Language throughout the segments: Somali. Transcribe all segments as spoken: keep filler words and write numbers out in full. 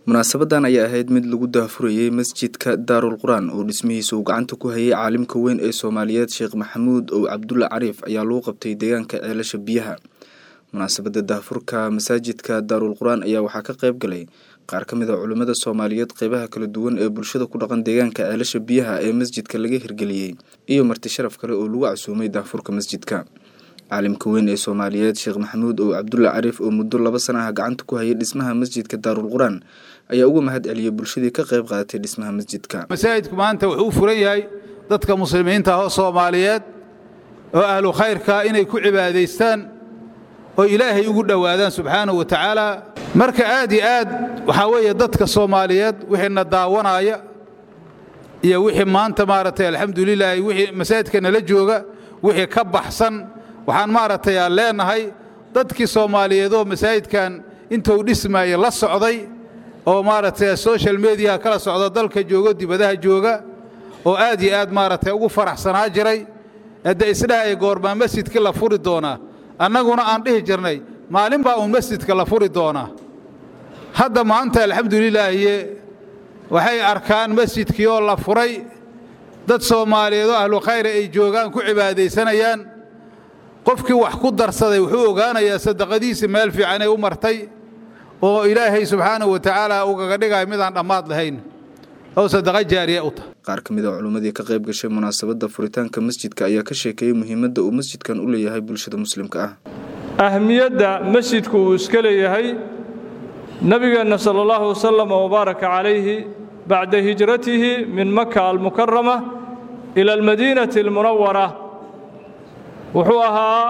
Munaasabadan ayaa ahayd mid lagu daahfurayay masjidka Daarul Qur'aan oo dhismihiisa uu gacanta ku hayay caalimka weyn ee Soomaaliyeed Sheekh Maxamuud Ow Cabdulle Cariif ayaa lagu qabtay deegaanka Ceelasha Biyaha. Munaasabada daahfurka masaajidka Daarul Qur'aan ayaa waxaa ka qayb galay qaar ka mid ah culimmada Soomaaliyeed, qeybaha kala duwan ee bulshada ku dhaqan deegaanka Ceelasha Biyaha ee masjidka laga hirgeliyey iyo marti sharaf kale oo lagu casuumay daahfurka masjidka. Caalimka weyn ee Soomaaliyeed Sheekh Maxamuud Ow Cabdulle Cariif oo muddo laba sana ah gacanta ku hayay dhismaha masjidka Daarul Qur'aan ayaa uga mahad celiyey bulshadii ka qayb qaadatay dhismaha masjidka. Masaajidku maanta wuxuu u furan yahay dadka muslimiinta ah oo Soomaaliyeed oo ahlu khayrka inay ku cibaadaystaan oo Ilaahay ugu dhowaadaan subxaanahu wa tacaala. Marka aad iyo aad waxaa weeye dadka Soomaaliyeed wixiina daawanaya iyo wixii maanta maaragtay alxamdulilaahi wixii masaajidka nala jooga wixii ka baxsan, waxaan maaragtay aan leenahay dadkii Soomaaliyeed oo masaajidkan intuu dhismaayey la socday oo maaragtay social media kala socda, dalka joogo, dibadaha jooga, oo aad iyo aad maaragtay ugu faraxsanaa jiray hadda isdhahaya goormaa masjidkii la furi doonaa, annaguna aan dhihi jirnay maalin baa uun masjidka la furi doonaa. Hadda maanta alxamdulilaahiye waxay arkaan masjidkii oo la furay, dad Soomaaliyeed oo ahlu khayra ay joogaan, ku cibaadaysanayaan. Qofkii wax ku darsaday wuxuu ogaanayaa sadaqadiisii meel fiicanay u martay oo Ilaahay subxaanahu wa tacaala ugaga dhigayo midaan dhammaad lahayn oo sadaqa jaariya u tahay. Qaar ka mid ah culimmadii ka qayb gashay munaasabadda furitaanka masjidka ayaa ka sheekeeyey muhiimadda uu masjidkan u leeyahay bulshada muslimka ah. Ahmiyadda masjidku uu iska leeyahay, nabigeenna sala allahu wasalam wabaaraka calayhi bacda hijratihi min Maka almukarama ila almadiinati almunawara wuxuu ahaa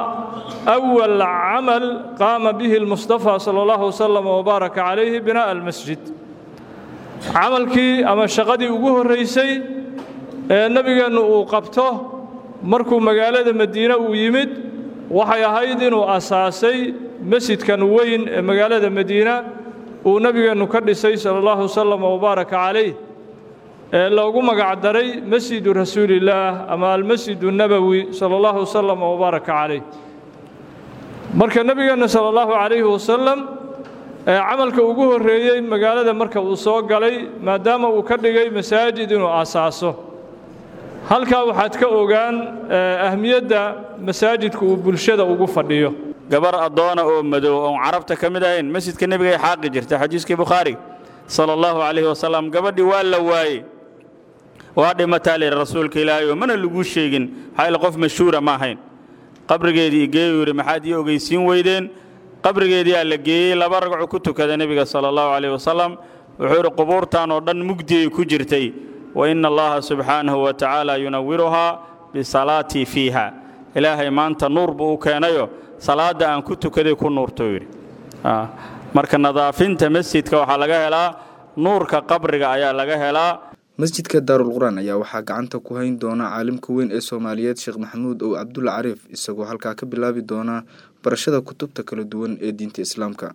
awal camal qaama bihi almustafa sala allahu wasalam wabaaraka calayhi binaa'a almasjid. Camalkii ama shaqadii ugu horraysay ee nebigeennu uu qabto markuu magaalada Madiine uu yimid waxay ahayd inuu asaasay masjidkan weyn ee magaalada Madiina uu nebigeennu ka dhisay sala allahu wasalam wabaaraka calayh ee loogu magac daray Masjidu Rasuulillaah ama Almasjidu Nabowi sala allahu wasalam wabaaraka calayh. Marka nebigeenna sala allahu calayhi wasalam ee camalka ugu horreeyey magaalada marka uu soo galay, maadaama uu ka dhigay masaajid inuu asaaso, halkaa waxaad ka ogaan ahmiyadda masaajidku uu bulshada ugu fadhiyo. Gabar addoona oo madow oon carabta ka mid ahayn masjidka nebigay xaaqi jirta, xadiiskii Bukhaari sala allahu calayhi wasalam. Gabadhii waa la waayey, waa dhimataa layidhi rasuulka Ilaahay oo mana laguu sheegin, maxaa yaele qof mashhuura ma ahayn. Qabrigeedii geeyuu yidhi, maxaad ii ogeysiin weydeen? Qabrigeediyaa la geeyey, laba ragcu ku tukada nebiga sala allahu calayhi wasalam. Wuxuu yidhi, qubuurtan oo dhan mugdiyay ku jirtay, wa ina Allaha subxaanahu wa tacaala yunawiruhaa bisalaatii fiiha. Ilaahay maanta nuur buu u keenayo, salaadda aan ku tukaday ku nuurtou yidhi. Marka nadaafinta masjidka waxaa laga helaa nuurka qabriga ayaa laga helaa. Masjidka Daarul Qur'aan ayaa waxaa gacanta ku hayn doona caalimka weyn ee Soomaaliyeed Sheekh Maxamuud Ow Cabdulle Cariif, isagoo halkaa ka bilaabi doona barashada kutubta kala duwan ee diinta Islaamka.